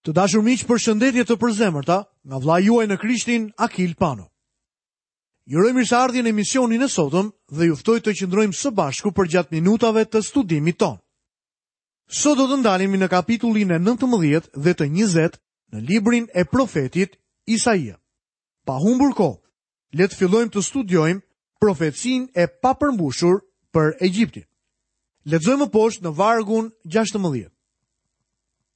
Të dashur miq, përshëndetje të përzemërta nga vëllai juaj në Krishtin, Akil Pano. Ju uroj mirëseardhje në emisionin e sotëm dhe ju ftoj të qëndrojmë së bashku përgjatë minutave të studimit tonë. Sot do të ndalemi në kapitullin e 19 dhe të 20 në librin e profetit Isaia. Pa humbur kohë, le të fillojmë të studiojmë profecinë e papërmbushur për Egjiptin. Lexojmë më poshtë në vargun 16.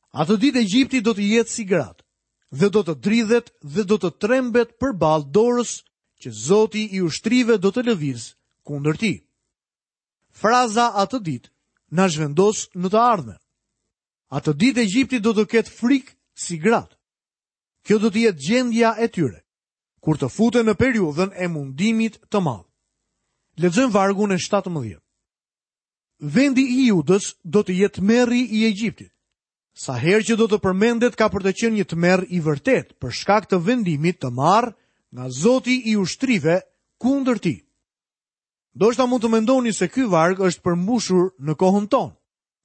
Atë ditë Egjipti do të jetë si gratë dhe do të dridhet dhe do të trembet përballë dorës që Zoti i ushtrive do të lëvizë kundër tij. Fraza atë ditë na zhvendos në të ardhmen. Atë ditë Egjipti do të ketë frikë si gratë. Kjo do të jetë gjendja e tyre, kur të futen në periudhën e mundimit të madh. Lexojmë vargun e 17. Vendi i Judës do të jetë tmerri i Egjiptit. Sa herë që do të përmendet ka për të qenë një tmerr i vërtetë për shkak të vendimit të marrë nga Zoti i ushtrive kundër tij. Ndoshta mund të mendoni se ky varg është përmbushur në kohën tonë.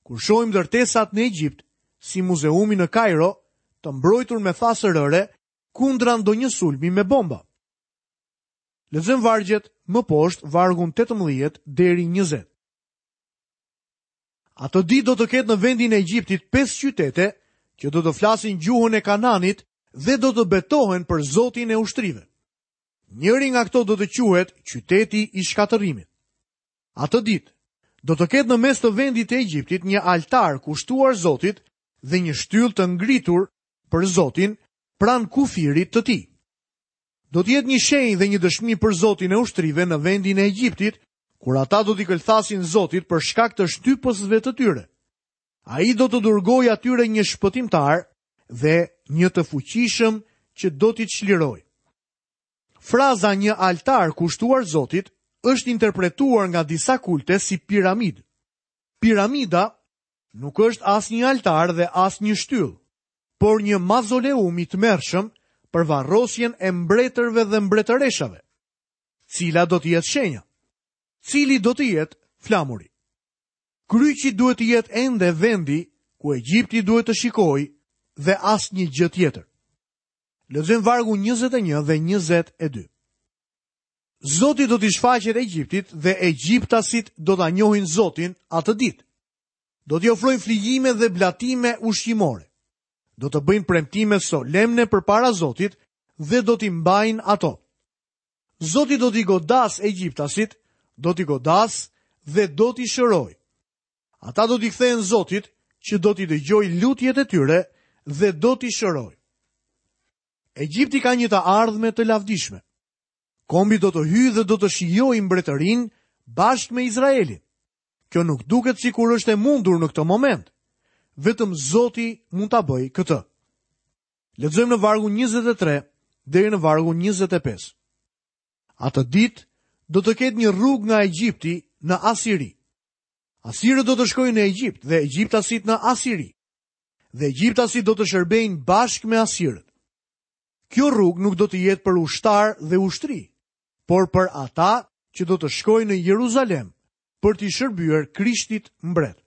Kur shohim ndërtesat në Egjipt, si muzeumi në Kajro, të mbrojtur me thasë rëre kundra ndonjë sulmi me bomba. Lexojmë vargjet më poshtë, vargun 18 deri 20. Atë ditë do të ketë në vendin e Egjiptit pesë qytete që do të flasin gjuhën e Kananit dhe do të betohen për Zotin e ushtrive. Njëri nga këto do të quhet qyteti i shkatërrimit. Atë ditë do të ketë në mes të vendit të Egjiptit një altar kushtuar Zotit dhe një shtyllë të ngritur për Zotin pranë kufirit të tij. Do të jetë një shenjë dhe një dëshmi për Zotin e ushtrive në vendin e Egjiptit, kur ata do t'i këlthasin Zotit për shkak të shtypësve të tyre. Ai do t'u dërgojë atyre një shpëtimtar dhe një të fuqishëm që do t'i çlirojë. Fraza një altar kushtuar Zotit është interpretuar nga disa kulte si piramidë. Piramida nuk është as një altar dhe as një shtyllë, por një mazoleum i tmerrshëm për varrosjen e mbretërve dhe mbretëreshave. Cila do të jetë shenja? Cili do të jetë flamuri? Kryqi duhet të jetë ende vendi ku Egjipti duhet të shikojë dhe asnjë gjë tjetër. Lexojmë vargun 21 dhe 22. Zoti do t'i shfaqet Egjiptit dhe egjiptasit do ta njohin Zotin atë ditë. Do t'i ofrojnë flijime dhe blatime ushqimore. Do të bëjnë premtime solemne përpara Zotit dhe do t'i mbajnë ato. Zoti do t'i godasë egjiptasit, do t'i godasë dhe do t'i shërojë. Ata do t'i kthehen Zotit që do t'i dëgjojë lutjet e tyre dhe do t'i shërojë. Egjipti ka një të ardhme të lavdishme. Kombi do të hyjë dhe do të shijojë mbretërinë bashkë me Izraelin. Kjo nuk duket sikur është e mundur në këtë moment. Vetëm Zoti mund ta bëjë këtë. Lexojmë në vargun 23 deri në vargun 25. Atë ditë do të ketë një rrugë nga Egjipti në Asiri. Asirët do të shkojnë në Egjipt dhe egjiptasit në Asiri. Dhe egjiptasit do të shërbejnë bashkë me asirët. Kjo rrugë nuk do të jetë për ushtarë dhe ushtri, por për ata që do të shkojnë në Jeruzalem për t'i shërbyer Krishtit mbret.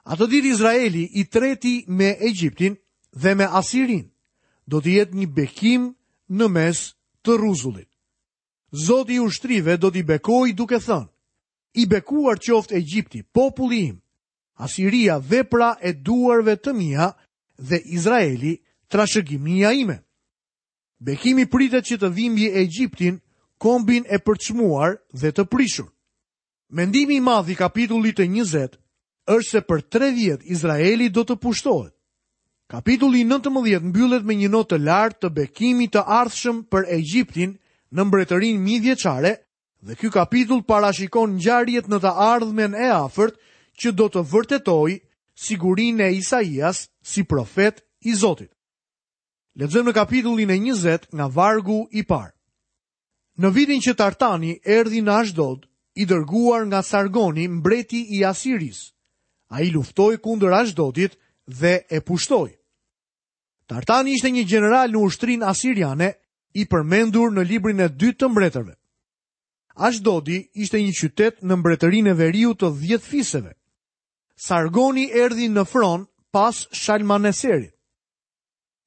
Atë ditë Izraeli i treti me Egjiptin dhe me Asirinë do të jetë një bekim në mes të rruzullit. Zoti i ushtrive do t'i bekojë duke thënë, I bekuar qoftë Egjipti, populli im, Asiria vepra e duarve të mia dhe Izraeli trashëgimia ime. Bekimi pritet që të vijë mbi Egjiptin, kombin e përçmuar dhe të prishur. Mendimi i madh i kapitullit të 20 është se për 3 vjet Izraeli do të pushtohet. Kapitulli 19 mbyllet me një notë të lartë të bekimit të ardhshëm për Egjiptin në mbretërinë mijëvjeçare dhe ky kapitull parashikon ngjarjet në të ardhmen e afërt që do të vërtetojë sigurinë e Isaias si profet i Zotit. Lexojmë në kapitullin e 20 nga vargu i parë. Në vitin që Tartani erdhi në Ashdod, i dërguar nga Sargoni, mbreti i Asirisë, ai luftoi kundër Ashdodit dhe e pushtoi. Tartani ishte një gjeneral në ushtrinë asiriane i përmendur në librin e dytë të mbretërve. Ashdodi ishte një qytet në mbretërinë e veriut të 10 fiseve. Sargoni erdhi në fron pas Shalmaneserit.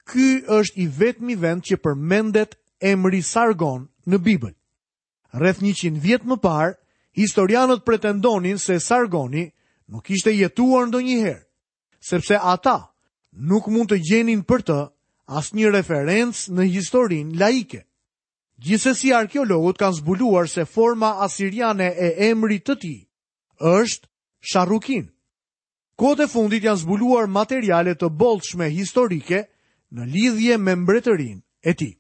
Ky është i vetmi vend që përmendet emri Sargon në Bibël. Rreth 100 vjet më parë, historianët pretendonin se Sargoni nuk kishte jetuar ndonjëherë, sepse ata nuk mund të gjenin për të asnjë referencë në historinë laike. Gjithsesi arkeologët kanë zbuluar se forma asiriane e emrit të tij është Sharrukin. Kohët e fundit janë zbuluar materiale të bollshme historike në lidhje me mbretërinë e tij.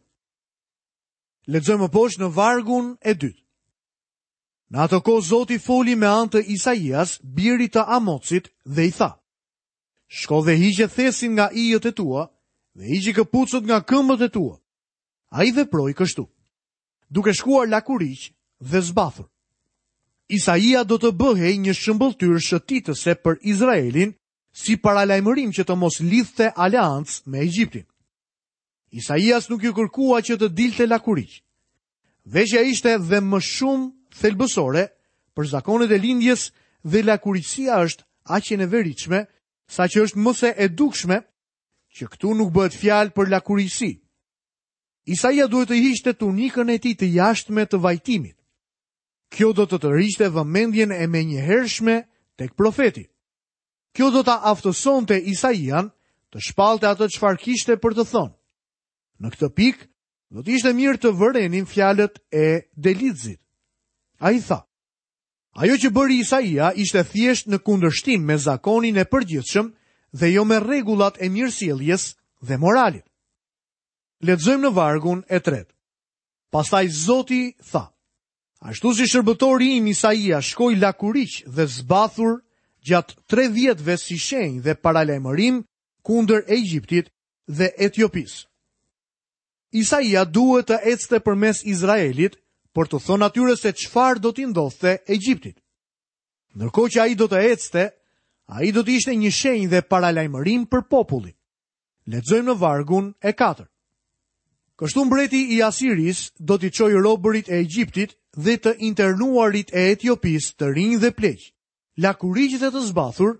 Lexojmë më poshtë në vargun e dytë. Në atë kohë Zoti foli me anë të Isaias, birit të Amocit, dhe i tha: Shko dhe hiqe thesin nga ijët e tua dhe hiqi këpucët nga këmbët e tua. Ai veproi kështu, duke shkuar lakuriq dhe zbathur. Isaia do të bëhej një shëmbëlltyrë shëtitëse për Izraelin si paralajmërim që të mos lidhte aleancë me Egjiptin. Isaias nuk iu kërkua që të dilte lakuriq. Veshja ishte dhe më shumë thelbësore për zakonet e lindjes dhe lakuriqësia është aq e neveritshme, saqë është më se e dukshme që këtu nuk bëhet fjalë për lakuriqësi. Isaia duhet të hiqte tunikën e tij të jashtme të vajtimit. Kjo do të tërhiqte vëmendjen e menjëhershme tek profeti. Kjo do ta aftësonte Isaian të shpallte atë çfarë kishte për të thënë. Në këtë pikë, do të ishte mirë të vërenim fjalët e Delixhit. Ai tha: Ajo që bëri Isaia ishte thjesht në kundërshtim me zakonin e përgjithshëm dhe jo me rregullat e mirësjelljes dhe moralit. Lexojmë në vargun e tretë. Pastaj Zoti tha: Ashtu si shërbëtori im Isaia shkoi lakuriq dhe zbathur gjatë tre vjetëve si shenjë dhe paralajmërim kundër Egjiptit dhe Etiopisë. Isaia duhet të ecte përmes Izraelit për t'u thënë atyre se çfarë do t'i ndodhte Egjiptit. Ndërkohë që ai do të ecte, ai do të ishte një shenjë dhe paralajmërim për popullin. Lexojmë në vargun e 4. Kështu mbreti i Asirisë do t'i çojë robërit e Egjiptit dhe të internuarit e Etiopisë të rinj dhe pleq, lakuriq dhe të zbathur,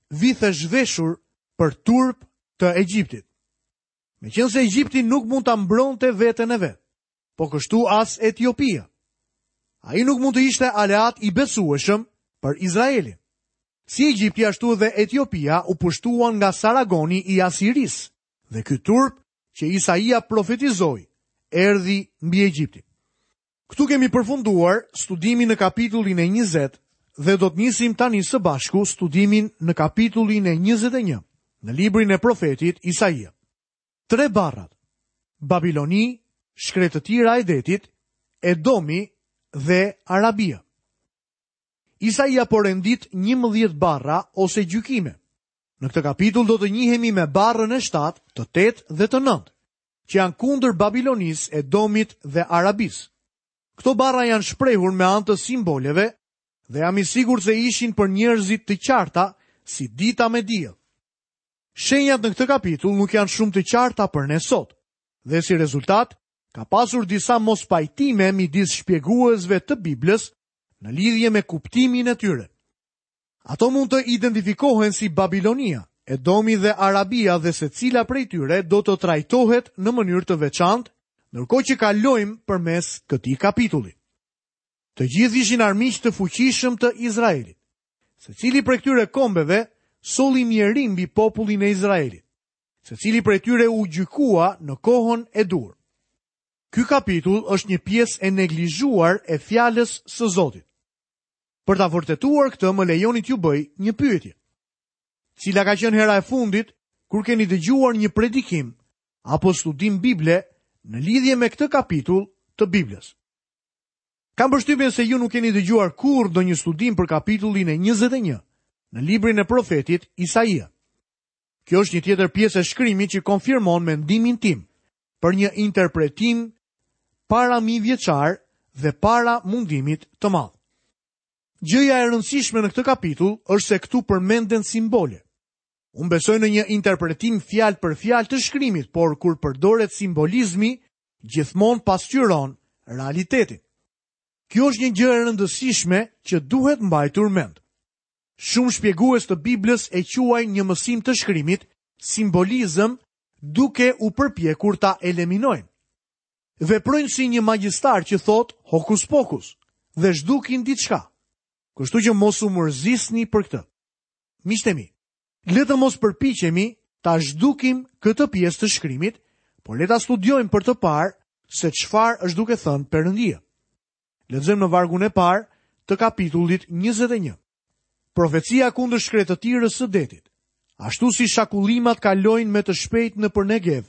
vithezhveshur për turp të Egjiptit. Meqenëse Egjipti nuk mund ta mbronte veten e vet, po kështu as Etiopia. Ai nuk mund të ishte aleat i besueshëm për Izraelin. Si Egjipti ashtu edhe Etiopia u pushtuan nga Saragoni i Asirisë dhe ky turp që Isaia profetizoi erdhi mbi Egjiptin. Këtu kemi përfunduar studimin në kapitullin e 20 dhe do të nisim tani së bashku studimin në kapitullin e 21 në librin e profetit Isaia. Tre barrat: Babiloni, shkretëtira e detit, Edomi dhe Arabia. Isaia po rendit 11 barra ose gjykime. Në këtë kapitull do të njihemi me barrën e 7, të 8 dhe të 9, që janë kundër Babilonisë, Edomit dhe Arabisë. Këto barra janë shprehur me anë të simboleve dhe jam i sigurt se ishin për njerëzit të qarta si dita me diell. Shenjat në këtë kapitull nuk janë shumë të qarta për ne sot dhe si rezultat ka pasur disa mospajtime midis shpjeguesve të Biblës në lidhje me kuptimin e tyre. Ato mund të identifikohen si Babilonia, Edomi dhe Arabia dhe secila prej tyre do të trajtohet në mënyrë të veçantë, ndërkohë që kalojmë përmes këtij kapitulli. Të gjithë ishin armiq të fuqishëm të Izraelit. Secili prej këtyre kombeve solli mjerim mbi popullin e Izraelit. Secili prej tyre u gjykua në kohën e duhur. Ky kapitull është një pjesë e neglizhuar e fjalës së Zotit. Për ta vërtetuar këtë, më lejoni t'ju bëj një pyetje. Cila ka qenë hera e fundit kur keni dëgjuar një predikim apo studim Bible në lidhje me këtë kapitull të Biblës? Kam përshtypjen se ju nuk keni dëgjuar kurrë ndonjë studim për kapitullin e 21 në librin e profetit Isaia. Kjo është një tjetër pjesë e shkrimit që konfirmon mendimin tim për një interpretim para mijëvjeçar dhe para mundimit të madh. Gjëja e rëndësishme në këtë kapitull është se këtu përmenden simbole. Unë besoj në një interpretim fjalë për fjalë të shkrimit, por kur përdoret simbolizmi, gjithmonë pasqyron realitetin. Kjo është një gjë e rëndësishme që duhet mbajtur mend. Shumë shpjegues të Biblës e quajnë një mësim të shkrimit simbolizëm. duke u përpjekur ta eliminojnë. Veprojnë si një magjistar që thotë hokus pokus dhe zhdukin diçka. Kështu që mos u mërzisni për këtë. Miqtë e mi, le të mos përpiqemi ta zhdukim këtë pjesë të shkrimit, por le ta studiojmë për të parë se çfarë është duke thënë Perëndia. Lexojmë në vargun e parë të kapitullit 21. Profecia kundër shkretëtirës së detit. Ashtu si shakullimat kalojnë me të shpejtë nëpër Negev,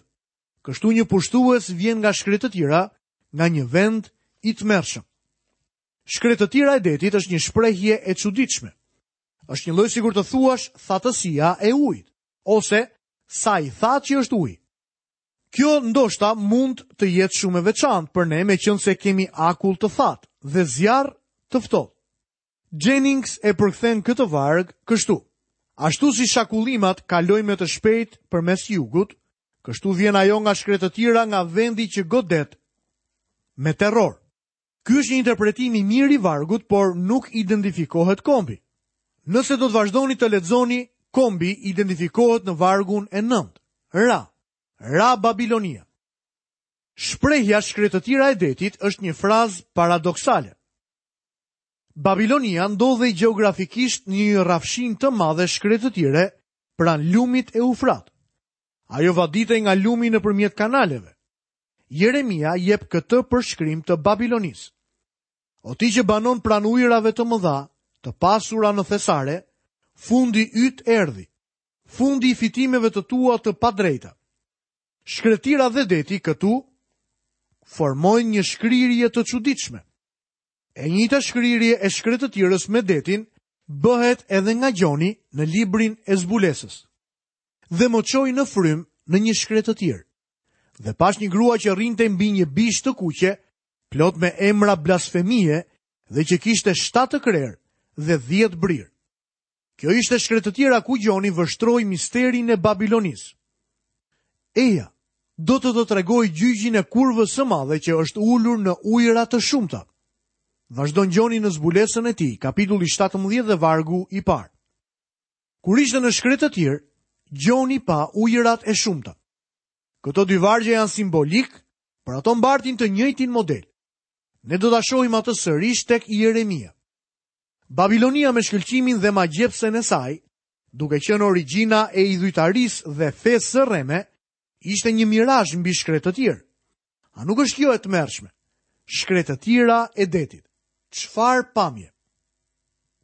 kështu një pushtues vjen nga shkretëtira, nga një vend i tmerrshëm. Shkretëtira e detit është një shprehje e çuditshme. Është njëlloj sikur të thuash thatësia e ujit, ose sa i thatë që është uji. Kjo ndoshta mund të jetë shumë e veçantë për ne meqenëse kemi akull të thatë dhe zjarr të ftohtë. Jennings e përkthen këtë varg kështu: Ashtu si shakullimat kalojnë me të shpejtë përmes jugut, kështu vjen ajo nga shkretëtira nga vendi që godet me terror. Ky është një interpretim i mirë i vargut, por nuk identifikohet kombi. Nëse do të vazhdoni të lexoni, kombi identifikohet në vargun e 9. Ra, ra Babilonia. Shprehja shkretëtira e detit është një frazë paradoksale. Babilonia ndodhej gjeografikisht në një rrafshinë të madhe shkretëtire pranë lumit Eufrat. Ajo vaditej nga lumi nëpërmjet kanaleve. Jeremia jep këtë përshkrim të Babilonisë. O ti që banon pranë ujërave të mëdha, të pasura në thesare, fundi yt erdhi, fundi i fitimeve të tua të padrejta. Shkretëtira dhe deti këtu formojnë një shkrirje të çuditshme. E njëjta shkrirje e shkretëtirës me detin bëhet edhe nga Gjoni në librin e zbulesës. Dhe më çoi në frymë në një shkretëtirë. Dhe pashë një grua që rrinte mbi një bishë të kuqe, plot me emra blasfemie dhe që kishte shtatë krerë dhe 10 brirë. Kjo ishte shkretëtira ku Gjoni vështroi misterin e Babilonisë. Eja, do të të tregoj gjyqin e kurvës së madhe që është ulur në ujëra të shumta. Vazhdon Gjoni në zbulesën e tij, kapitulli 17 dhe vargu i parë. Kur ishte në shkretëtirë, Gjoni pa ujërat e shumta. Këto dy vargje janë simbolikë, por ato mbartin të njëjtin model. Ne do ta shohim atë sërish tek Jeremia. Babilonia me shkëlqimin dhe magjepsen e saj, duke qenë origjina e idhujtarisë dhe fesë së rreme, ishte një mirazh mbi shkretëtirë. A nuk është kjo e tmerrshme? Shkretëtira e detit. Çfarë pamje?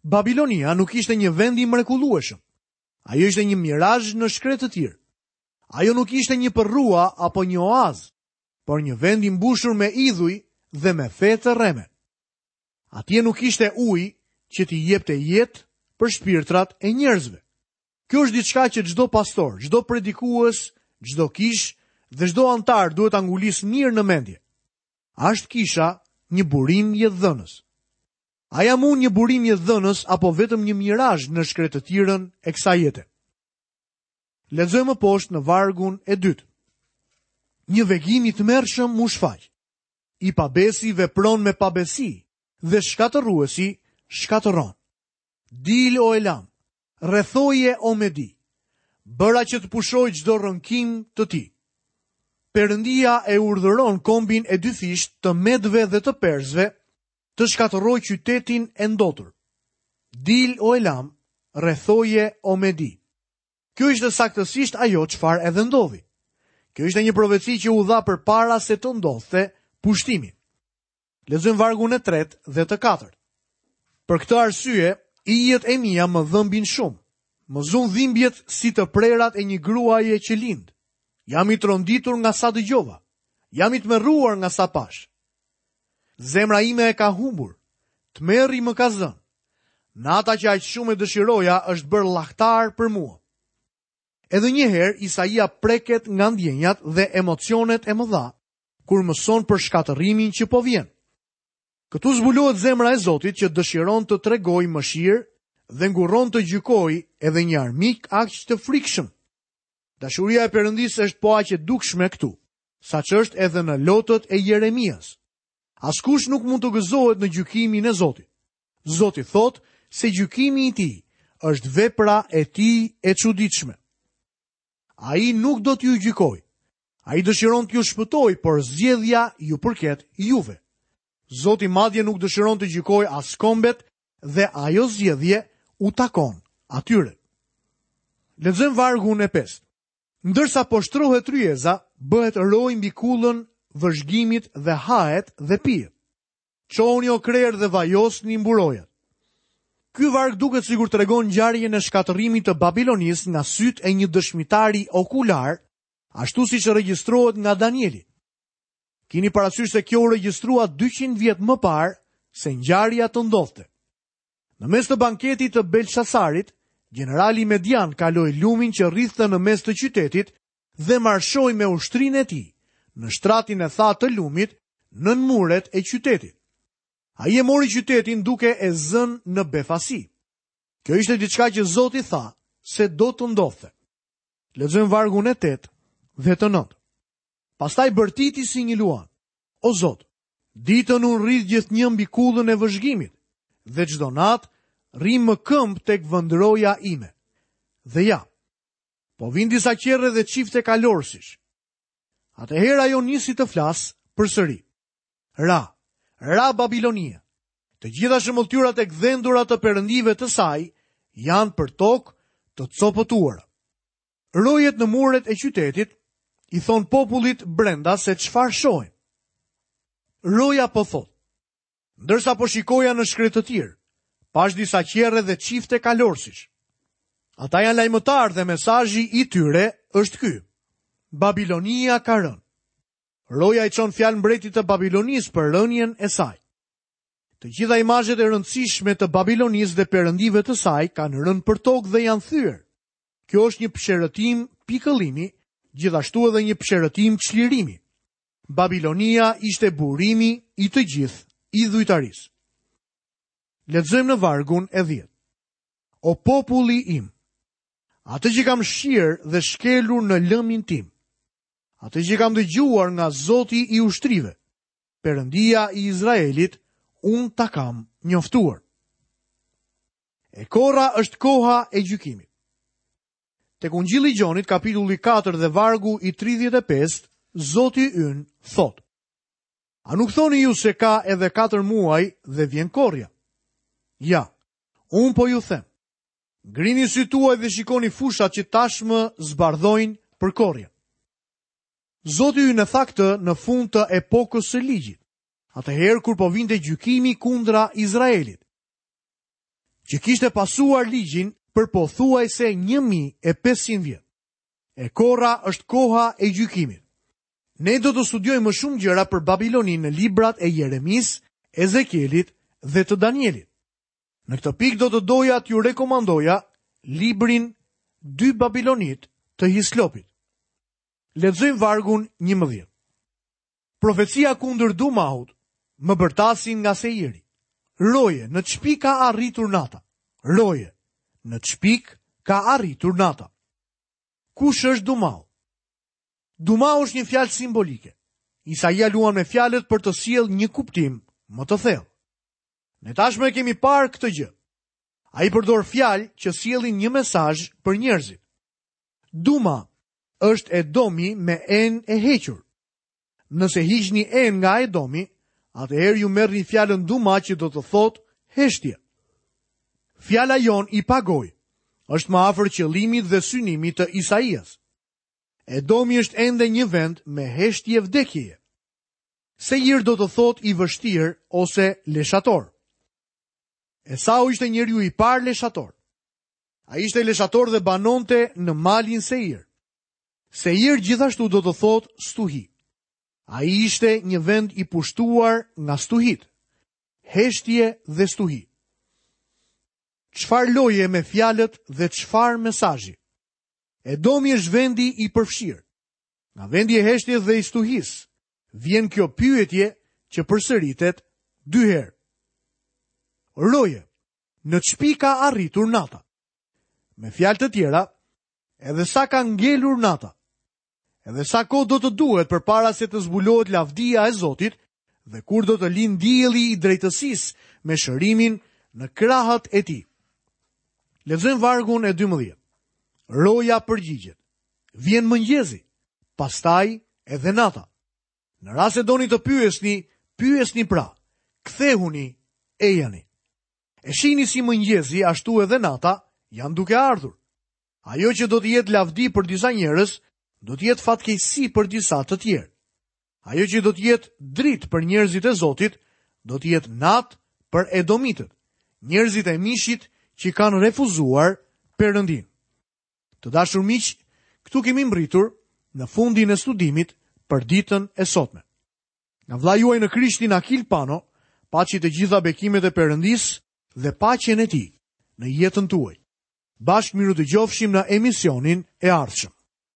Babilonia nuk ishte një vend i mrekullueshëm. Ajo ishte një mirazh në shkretëtirë. Ajo nuk ishte një përrua apo një oaz, por një vend i mbushur me idhuj dhe me fe të rreme. Atje nuk ishte ujë që t'i jepte jetë për shpirtrat e njerëzve. Kjo është diçka që çdo pastor, çdo predikues, çdo kishë dhe çdo anëtar duhet ta ngulisë mirë në mendje. A është kisha një burim jetëdhënës? A jam unë një burim jetëdhënës apo vetëm një mirazh në shkretëtirën e kësaj jete? Lexojmë më poshtë në vargun e dytë. Një vegim i tmerrshëm m'u shfaq. I pabesi vepron me pabesi dhe shkatërruesi shkatërron. Dil o Elam, rrethoje o Medi. Bëra që të pushojë çdo rënkim të tij. Perëndia e urdhëron kombin e dyfishtë të Medëve dhe të Persëve të shkatërrojë qytetin e ndotur. Dil o Elam, rrethoje o Medi. Kjo ishte saktësisht ajo çfarë edhe ndodhi. Kjo ishte një profeci që u dha përpara se të ndodhte pushtimi. Lexojmë vargun e tretë dhe të katërt. Për këtë arsye, ijet e mia më dhëmbin shumë. Më zunë dhimbjet si të prerat e një gruaje që lind. Jam i tronditur nga sa dëgjova. Jam i tmerruar nga sa pashë. Zemra ime e ka humbur. Tmerri më ka zënë. Nata që aq shumë e dëshiroja është bërë llahtar për mua. Edhe një herë Isaia preket nga ndjenjat dhe emocionet e mëdha kur mëson për shkatërrimin që po vjen. Këtu zbulohet zemra e Zotit që dëshiron të tregojë mëshirë dhe ngurron të gjykojë edhe një armik aq të frikshëm. Dashuria e Perëndisë është po aq e dukshme këtu, sa ç'është edhe në lotët e Jeremias. Askush nuk mund të gëzohet në gjykimin e Zotit. Zoti thotë se gjykimi i tij është vepra e tij e çuditshme. Ai nuk do t'ju gjykojë. Ai dëshiron t'ju shpëtojë, por zgjedhja ju përket juve. Zoti madje nuk dëshiron të gjykojë as kombet dhe ajo zgjedhje u takon atyre. Lexojmë vargun e pestë. Ndërsa poshtrohet tryeza, bëhet rojë mbi kullën vëzhgimit dhe hahet dhe pihet. Çohuni o krerë dhe vajosni mburojat. Ky varg duket sikur tregon ngjarjen e shkatërrimit të Babilonisë nga sytë e një dëshmitari okular, ashtu siç regjistrohet nga Danieli. Kini parasysh se kjo u regjistrua 200 vjet më parë se ngjarja të ndodhte. Në mes të banketit të Belshasarit, gjenerali Median kaloi lumin që rridhte në mes të qytetit dhe marshoi me ushtrinë e tij në shtratin e thatë të lumit nën muret e qytetit. Ai e mori qytetin duke e zënë në befasi. Kjo ishte diçka që Zoti tha se do të ndodhte. Lexojmë vargun e 8 dhe të 9. Pastaj bërtiti si një luan. O Zot, ditën unë rri gjithnjë mbi kullën e vëzhgimit dhe çdo natë rri më këmbë tek vendroja ime. Dhe ja, Po vijnë disa qerre dhe çifte kalorësish. Atëherë ajo nisi të flasë përsëri. Ra, ra Babilonia. Të gjitha shëmbëlltyrat e gdhendura të perëndive të saj janë përtokë të copëtuara. Rojet në muret e qytetit i thonë popullit brenda se çfarë shohin. Roja po thotë, Ndërsa po shikoja në shkretëtirë, pashë disa qerre dhe çifte kalorësish. Ata janë lajmëtarë dhe mesazhi i tyre është ky. Babilonia ka rënë. Roja i çon fjalë mbretit të Babilonisë për rënien e saj. Të gjitha imazhet e rëndësishme të Babilonisë dhe perëndive të saj kanë rënë përtokë dhe janë thyer. Kjo është një psherëtimë pikëllimi, gjithashtu edhe një psherëtimë çlirimi. Babilonia ishte burimi i të gjithë idhujtarisë. Lexojmë në vargun e 10. O populli im, atë që kam shqyer dhe shkelur në lëmin tim, atë që kam dëgjuar nga Zoti i ushtrive, Perëndia i Izraelit, unë ta kam njoftuar. E korra është koha e gjykimit. Tek Ungjilli i Gjonit, kapitulli 4 dhe vargu i 35, Zoti ynë thotë: A nuk thoni ju se ka edhe 4 muaj dhe vjen korrja? Ja, unë po ju them. Ngrini sytë tuaj dhe shikoni fushat që tashmë zbardhojnë për korrjen. Zoti ynë e tha këtë në fund të epokës së ligjit, atëherë kur po vinte gjykimi kundra Izraelit. që kishte pasuar ligjin për pothuajse 1500 vjet. E korra është koha e gjykimit. Ne do të studiojmë më shumë gjëra për Babiloninë në librat e Jeremisë, Ezekielit dhe të Danielit. Në këtë pikë do të doja t'ju rekomandoja librin Dy Babilonitë të Hislopit. Lexojmë vargun 11. Profecia kundër Dumahut, më bërtasin nga Seiri. Roje, në ç'pikë ka arritur nata. Roje, në ç'pikë ka arritur nata. Kush është Dumahu? Dumahu është një fjalë simbolike. Isaia luan me fjalët për të sjellë një kuptim më të thellë. Ne tashmë e kemi parë këtë gjë. Ai përdor fjalë që sjellin një mesazh për njerëzit. Duma është Edomi me e-në e hequr. Nëse hiqni e-në nga Edomi, atëherë ju merrni fjalën Duma që do të thotë heshtje. Fjala jonë i pagojë është më afër qëllimit dhe synimit të Isaias. Edomi është ende një vend me heshtje vdekjeje. Seir do të thotë i vështirë ose leshator. Esau ishte njeriu i parë leshator. Ai ishte leshator dhe banonte në malin Seir. Seir gjithashtu do të thotë stuhi. Ai ishte një vend i pushtuar nga stuhitë. Heshtje dhe stuhi. Çfarë loje me fjalët dhe çfarë mesazhi? Edomi është vendi i përfshirë. Nga vendi i heshtjes dhe i stuhisë, vjen kjo pyetje që përsëritet dy herë. Roje, në ç'pikë ka arritur nata? Me fjalë të tjera, Edhe sa ka ngelur nata? Edhe sa kohë do të duhet përpara se të zbulohet lavdia e Zotit dhe kur do të lindë dielli i drejtësisë me shërimin në krahët e tij. Lexojmë vargun e 12. Roja përgjigjet. Vjen mëngjesi, pastaj edhe nata. Në rast se doni të pyesni, pyesni pra, kthehuni, ejani. E shihni si mëngjesi, ashtu edhe nata, janë duke ardhur. Ajo që do të jetë lavdi për disa njerëz, do të jetë fatkeqësi për disa të tjerë. Ajo që do të jetë dritë për njerëzit e Zotit, do të jetë natë për edomitët, njerëzit e mishit që kanë refuzuar Perëndinë. Të dashur miq, këtu kemi mbërritur në fundin e studimit për ditën e sotme. Nga vëllai juaj në Krishtin Akil Pano, paçi të gjitha bekimet e Perëndisë dhe paqen e tij në jetën tuaj. Bashkë mirudëgjofshim në emisionin e ardhshëm.